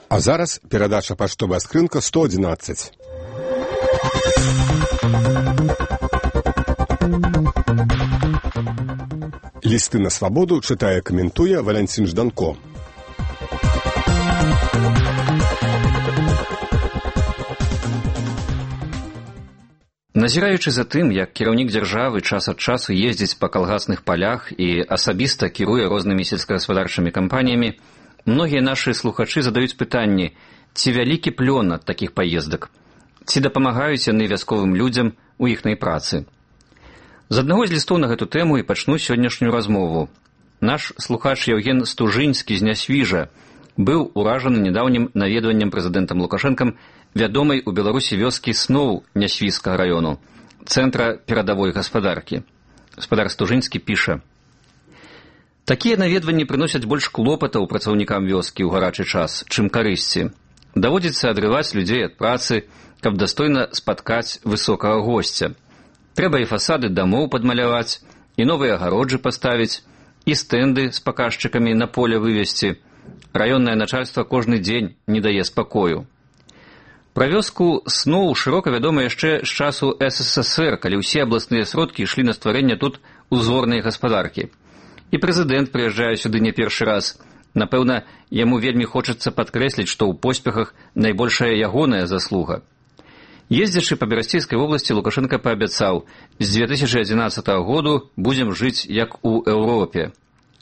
А зараз перадача паштовая скрынка 111. Лісты на свабоду чытае, каментуе Валянцін Жданко. Назіраючы за тым, як кіраўнік дзяржавы час ад часу ездзіць па калгасных палях і асабіста кіруе рознымі сельскагаспадарчымі кампаніямі, многія нашы слухачы задаюць пытанні, ці вялікі плён ад такіх паездак, ці дапамагаюць яны вясковым людзям у іхнай працы. З аднаго з лістоў на гэту тэму і пачну сённяшнюю размову. Наш слухач Яўген Стужынскі з Нясвіжа быў уражаны нядаўнім наведваннем прэзідэнтам Лукашэнкам вядомай у Беларусі вёскі Сноў Нясвіжскага раёну, цэнтра перадавой гаспадаркі. Гаспадар Стужынскі піша: «Такія наведванні прыносяць больш клопатаў працаўнікам вёскі ў гарачы час, чым карысці. Даводзіцца адрываць людзей ад працы, каб дастойна спаткаць высокага госця. Трэба і фасады дамоў падмаляваць, і новыя агароджы паставіць, і стэнды з паказчыкамі на поле вывесці. Раённае начальства кожны дзень не дае спакою». Пра вёску Сноў шырока вядома яшчэ з часу СССР, калі ўсе абласныя сродкі ішлі на стварэнне тут узорнай гаспадаркі. І прэзідэнт прыязджае сюды не першы раз. Напэўна, яму вельмі хочацца падкрэсліць, што ў поспехах найбольшая ягоная заслуга. Ездзячы па Берасцейскай вобласці, Лукашенко паабяцаў: «З 2011 году будзем жыць як у Еўропе».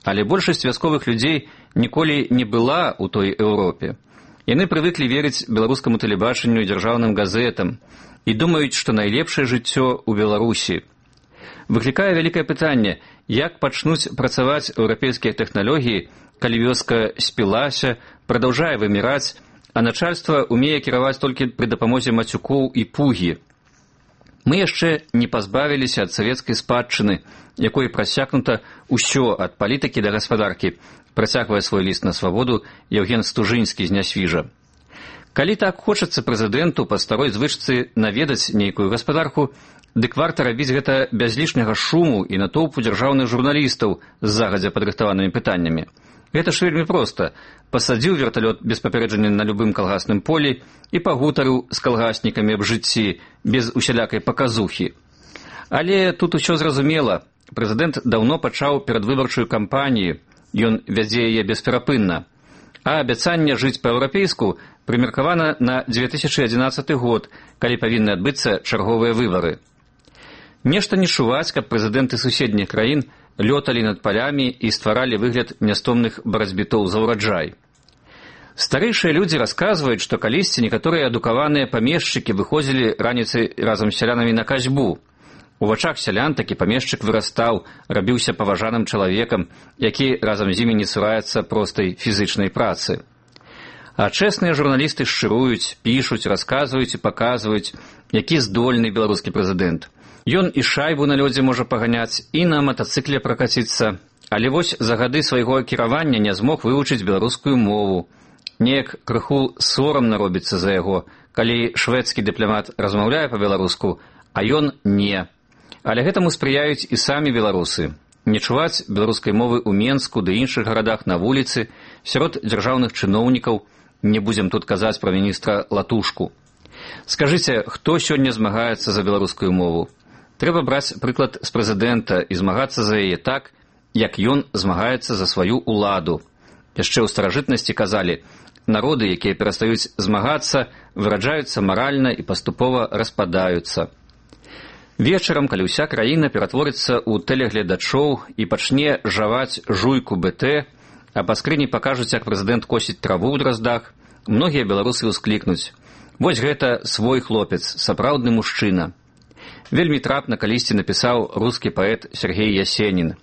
Але большасць вясковых людзей ніколі не была ў той Еўропе. Яны прывыклі верыць беларускаму тэлебачанню і дзяржаўным газетам і думаюць, што найлепшае жыццё ў Беларусі. Выклікае вялікае пытанне, як пачнуць працаваць еўрапейскія тэхналогіі, калі вёска спілася, прадаўжае выміраць, а начальства умее кіраваць толькі пры дапамозе мацюкоў і пугі. Мы яшчэ не пазбавіліся ад савецкай спадчыны, якой прасякнута ўсё ад палітыкі да гаспадаркі, працягвае свой ліст на свабоду Яўген Стужынскі з Нясвіжа. Калі так хочацца прэзідэнту па старой звычцы наведаць нейкую гаспадарку, дык варта рабіць гэта без лішняга шуму і натоўпу дзяржаўных журналістаў з загадзя падрыхтаванымі пытаннямі. Гэта ж вельмі проста. Пасадзіў верталёт без папярэджання на любым калгасным полі і пагутарыў з калгаснікамі аб жыцці, без усялякай паказухі. Але тут усё зразумела. Прэзідэнт даўно пачаў перадвыбарчую кампанію, ён вядзе яе бесперапынна. А абяцанне жыць па-еўрапейску прымеркавана на 2011 год, калі павінны адбыцца чарговыя выбары. Нешта не чуваць, каб прэзідэнты суседніх краін лёталі над палямі і стваралі выгляд нястомных барацьбітоў за ўраджай. Старэйшыя людзі расказваюць, што калісьці некаторыя адукаваныя памешчыкі выходзілі раніцай разам з сялянамі на касьбу. У вачах сялян такі памешчык вырастаў, рабіўся паважаным чалавекам, які разам з імі не цураецца простай фізычнай працы. А чэсныя журналісты шчыруюць, пішуць, расказваюць і паказваюць, які здольны беларускі прэзідэнт. Ён і шайбу на лёдзе можа паганяць, і на матацыкле пракаціцца. Але вось за гады свайго кіравання не змог вывучыць беларускую мову. Неяк крыху сорамна робіцца за яго, калі шведскі дыпламат размаўляе па-беларуску, а ён не. Але гэтаму спрыяюць і самі беларусы. Не чуваць беларускай мовы ў Менску ды іншых гарадах на вуліцы, сярод дзяржаўных чыноўнікаў, не будзем тут казаць пра міністра Латушку. Скажыце, хто сёння змагаецца за беларускую мову? Трэба браць прыклад з прэзідэнта і змагацца за яе так, як ён змагаецца за сваю ўладу. Яшчэ ў старажытнасці казалі, народы, якія перастаюць змагацца, выраджаюцца маральна і паступова распадаюцца. Вечарам, калі ўся краіна ператворыцца ў тэлегледачоў і пачне жаваць жуйку БТ, а па скрыні пакажуць, як прэзідэнт косіць траву ў драздах, многія беларусы ўсклікнуць: «Вось гэта свой хлопец, сапраўдны мужчына». Вельмі трапна калісьці напісаў рускі паэт Сергей Ясенін: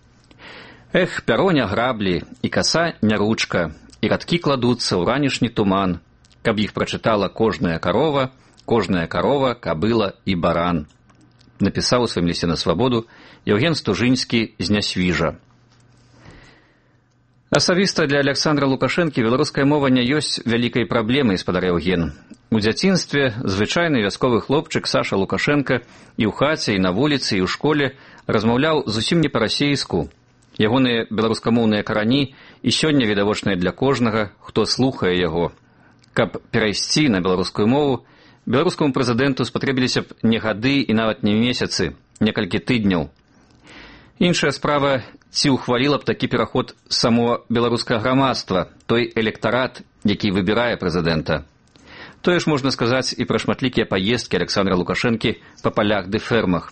«Эх, пяро не граблі, і каса не ручка, і радкі кладуцца ў ранішні туман, каб іх прачытала кожная карова, кабыла і баран». Напісаў у сваім лісце на свабоду Яўген Стужынскі з Нясвіжа. Асабіста для Аляксандра Лукашэнкі беларуская мова не ёсць вялікай праблемай, спадар Яўген. У дзяцінстве звычайны вясковы хлопчык Саша Лукашенко і ў хаце, і на вуліцы, і ў школе размаўляў зусім не па-расейску. Ягоныя беларускамоўныя карані і сёння відавочныя для кожнага, хто слухае яго. Каб перайсці на беларускую мову, беларускаму прэзідэнту спатрэбіліся б не гады і нават не месяцы, некалькі тыдняў. Іншая справа, ці ўхваліла б такі пераход само беларускае грамадства, той электарат, які выбірае прэзідэнта. Тое ж можна сказаць і пра шматлікія паездкі Александра Лукашэнкі па палях ды фермах.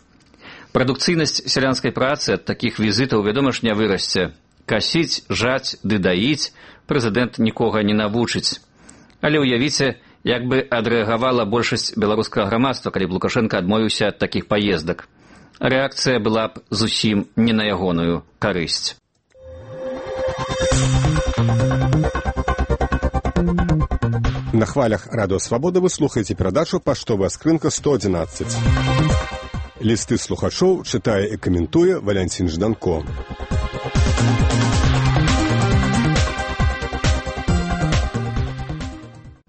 Прадукцыйнасць сялянскай працы ад такіх візітаў, вядома ж, не вырасце. Касіць, жаць ды даіць прэзідэнт нікога не навучыць. Але ўявіце, як бы адрэагавала большасць беларускага грамадства, калі б Лукашенко адмовіўся ад такіх паездак. Рэакцыя была б зусім не на ягоную карысць. На хвалях Радио Свобода вы слухаете передачу «Поштовая скрынка 111». Листы слухачоў читае и комментуе Валентин Жданко.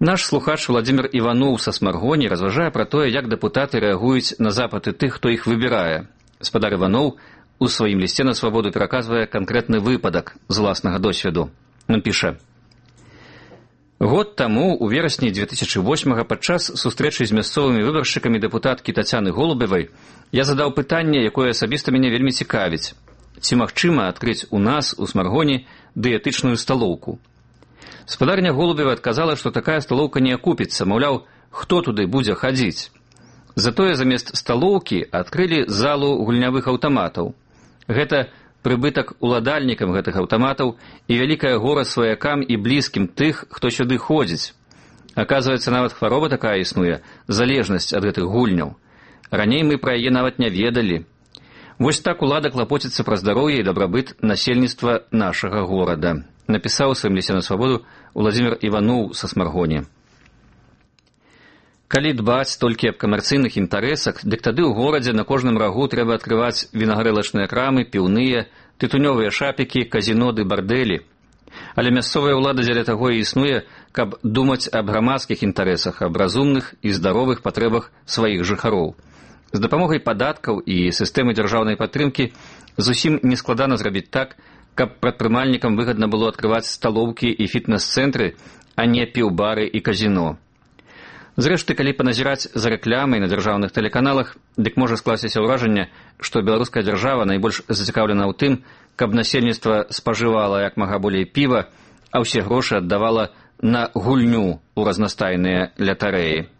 Наш слухач Владимир Иванов са Смаргоні разважае пра тое, як дэпутаты рэагуюць на запыты тых, хто іх выбірае. Спадар Иванов у сваім лісце на Свабоду пераказвае канкрэтны выпадак з уласнага досведу. Ён піша: год таму, у верасні 2008-го, падчас сустрэчы з мясцовымі выбаршчыкамі дэпутаткі Тацяны Голубевай, я задаў пытанне, якое асабіста мяне вельмі цікавіць. Ці магчыма адкрыць у нас, у Смаргоні, дыетычную сталоўку? Спадарня Голубева адказала, што такая сталоўка не акупіцца, маўляў, хто туды будзе хадзіць. Затое замест сталоўкі адкрылі залу гульнявых аўтаматаў. Гэта прыбытак уладальнікам гэтых аўтаматаў і вялікае гора сваякам і блізкім тых, хто сюды ходзіць. Аказваецца, нават хвароба такая існуе, залежнасць ад гэтых гульняў. Раней мы пра яе нават не ведалі. Вось так улада клапоціцца пра здароўе і дабрабыт насельніцтва нашага горада. Напісаў у сваім лісце на Свабоду Владимир Иванов са Смаргоні. Калі дбаць толькі аб камерцыйных інтарэсах, дык тады ў горадзе на кожным рагу трэба адкрываць вінагарэлачныя крамы, піўныя, тытунёвыя шапікі, казіно ды бардэлі. Але мясцовая ўлада дзеля таго і існуе, каб думаць аб грамадскіх інтарэсах, аб разумных і здаровых патрэбах сваіх жыхароў. З дапамогай падаткаў і сістэмы дзяржаўнай падтрымкі зусім нескладана зрабіць так, каб прадпрымальнікам выгадна было адкрываць сталоўкі і фітнес-цэнтры, а не піўбары і казіно. Зрэшты, калі паназіраць за рэкламай на дзяржаўных тэлеканалах, дык можа скласціся ўражанне, што беларуская дзяржава найбольш зацікаўлена ў тым, каб насельніцтва спажывала як мага болей піва, а ўсе грошы аддавала на гульню ў разнастайныя лятарэі.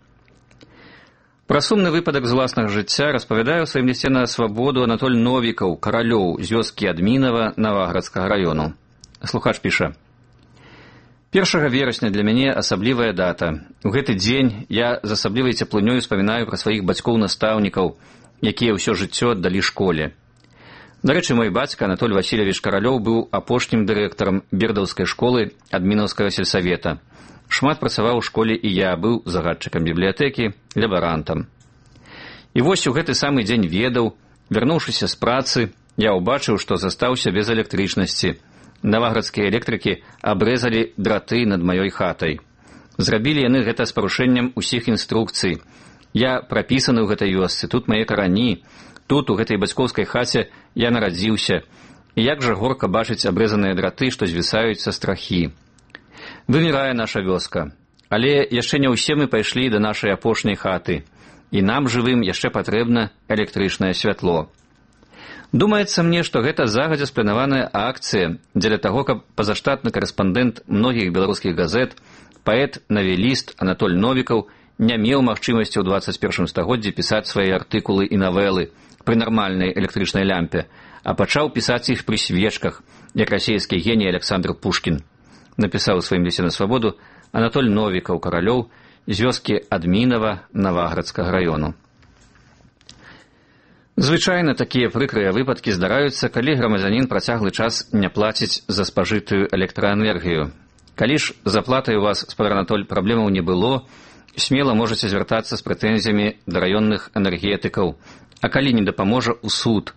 Пра сумны выпадак з уласнага жыцця распавядае ў сваім лісце на Свабоду Анатоль Новікаў, каралёў з вёскі Адмінава Наваградскага раёну. Слухач піша: 1 верасня для мяне асаблівая дата. У гэты дзень я з асаблівай цеплынёй успамінаю пра сваіх бацькоў-настаўнікаў, якія ўсё жыццё аддалі школе. Дарэчы, мой бацька Анатоль Васильевич Каралёў быў апошнім дырэктарам бердаўскай школы Адмінаўскага сельсавета. Шмат працаваў у школе і я, быў загадчыкам бібліятэкі, лябарантам. І вось у гэты самы дзень ведаў, вярнуўшыся з працы, я ўбачыў, што застаўся без электрычнасці. Наваградскія электрыкі абрэзалі драты над маёй хатай. Зрабілі яны гэта з парушэннем усіх інструкцый. Я прапісаны ў гэтай вёсцы, тут мае карані, тут, у гэтай бацькоўскай хаце, я нарадзіўся. І як жа горка бачыць абрэзаныя драты, што звісаюць са страхі. Вымірае наша вёска, але яшчэ не ўсе мы пайшлі да нашай апошняй хаты, і нам, жывым, яшчэ патрэбна электрычнае святло. Думаецца мне, што гэта загадзя спланаваная акцыя дзеля таго, каб пазаштатны карэспандэнт многіх беларускіх газет, паэт-навеліст Анатоль Новікаў не меў магчымасці ў 21 стагоддзі пісаць свае артыкулы і навелы пры нармальнай электрычнай лямпе, а пачаў пісаць іх пры свечках, як расійскі геній Александр Пушкін. Напісаў у сваім лісце на Свабоду Анатоль Новікаў, каралёў з вёскі Адмінава Наваградскага раёну. Звычайна такія прыкрыя выпадкі здараюцца, калі грамадзянін працяглы час не плаціць за спажытую электраэнергію. Калі ж з аплатай у вас, спадар Анатоль, праблемаў не было, смела можаце звяртацца з прэтэнзіямі да раённых энергетыкаў, а калі не дапаможа, у суд.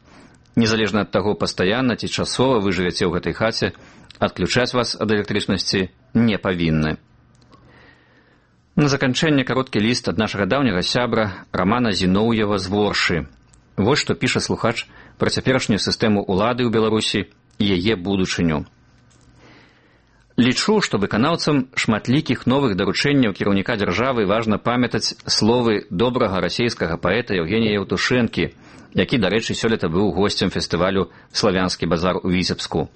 Незалежна ад таго, пастаянна ці часова вы жывяце ў гэтай хаце, адключаць вас ад электрычнасці не павінны. На заканчэнне кароткі ліст ад нашага даўняга сябра Рамана Зіноўева з Воршы. Вось што піша слухач пра цяперашнюю сістэму ўлады ў Беларусі і яе будучыню. Лічу, што выканаўцам шматлікіх новых даручэнняў кіраўніка дзяржавы важна памятаць словы добрага расейскага паэта Евгения Евтушенкі, які, дарэчы, сёлета быў госцем фестывалю «Славянскі базар» у Віцебску.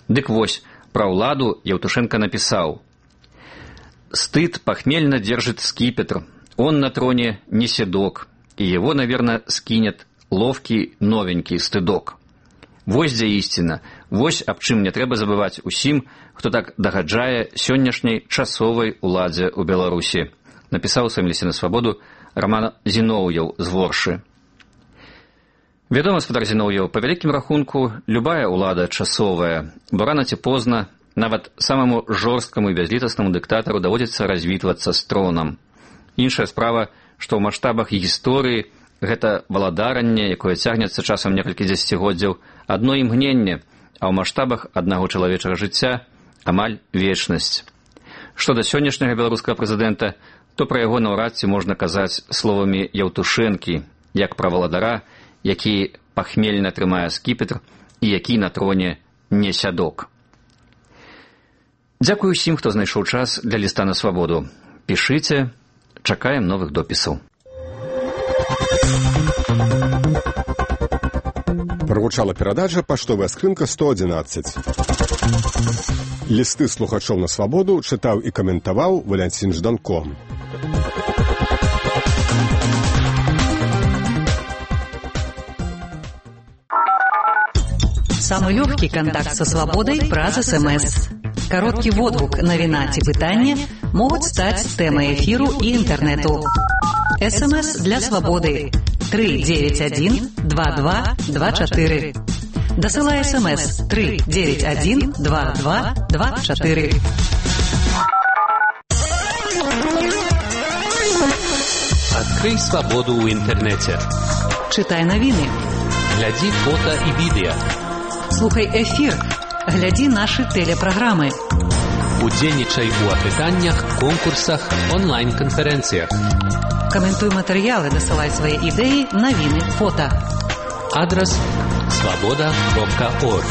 Дык вось, пра ўладу Евтушенко напісаў: «Стыд похмельно держит скипетр, он на троне не седок, и его, наверное, скинет ловкий новенький стыдок». Вось дзе ісціна, вось аб чым не трэба забываць усім, хто так дагаджае сённяшняй часовай уладзе ў Беларусі, напісаў у сваім лісце на свабоду Роман Зіноўяў з Воршы. Вядома, спадар Зіноўяў, па вялікім рахунку, любая ўлада часовая, бо рана ці позна нават самаму жорсткаму і бязлітаснаму дыктатару даводзіцца развітвацца з тронам. Іншая справа, што ў маштабах гісторыі гэта валадаранне, якое цягнецца часам некалькі дзесяцігоддзяў, адно імгненне, а ў маштабах аднаго чалавечага жыцця амаль вечнасць. Што да сённяшняга беларускага прэзідэнта, то пра яго наўрад ці можна казаць словамі Евтушэнкі, як пра валадара, які пахмельна трымае скіпетр і які на троне не сядок. Дзякую ўсім, хто знайшоў час для ліста на свабоду. Пішыце, чакаем новых допісаў. Прагучала перадача «Паштовая скрынка 111». Лісты слухачоў на свабоду чытаў і каментаваў Валянцін Жданко. Самый легкий контакт со свободой праз СМС. Короткий водгук, навіна ці пытанне могуць стаць тэмай эфіру і інтэрнэту. СМС для свободы 391-2224. Дасылай СМС 391-2224. Открый свободу ў інтэрнэце. Чытай навіны. Глядзі фота і відэа. Слухай эфір. Глядзі нашы тэлепраграмы. Удзельнічай у апытаннях, конкурсах, онлайн-канферэнцыях. Каментуй матэрыялы, дасылай свае ідэі, навіны, фота. Адрас свобода.орг.